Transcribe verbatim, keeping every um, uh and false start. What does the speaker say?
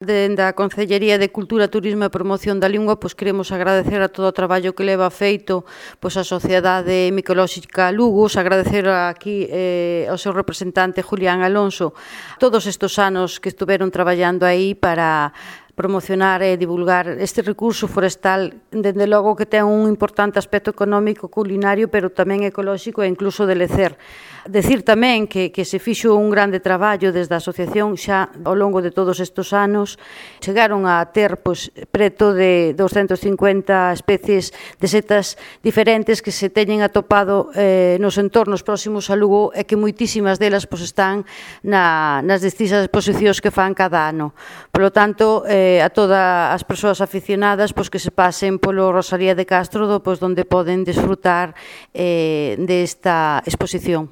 Dende a Concellería de Cultura, Turismo e Promoción da Lingua, pois queremos agradecer a todo o traballo que leva feito pois a Sociedade Micolóxica Lugos, agradecer aquí eh, ao seu representante Julián Alonso todos estes anos que estuveron traballando aí para promocionar e divulgar este recurso forestal, dende logo que ten un importante aspecto económico, culinario, pero tamén ecolóxico e incluso de lecer. Decir tamén que, que se fixo un grande traballo desde a asociación xa ao longo de todos estes anos. Chegaron a ter pois, preto de doscientas cincuenta especies de setas diferentes que se teñen atopado eh, nos entornos próximos a Lugo e que moitísimas delas pois, están na, nas distintas exposicións que fan cada ano. Por lo tanto, eh, a todas as persoas aficionadas pois, que se pasen polo Rosalía de Castro, do, pois, donde poden desfrutar eh, desta exposición.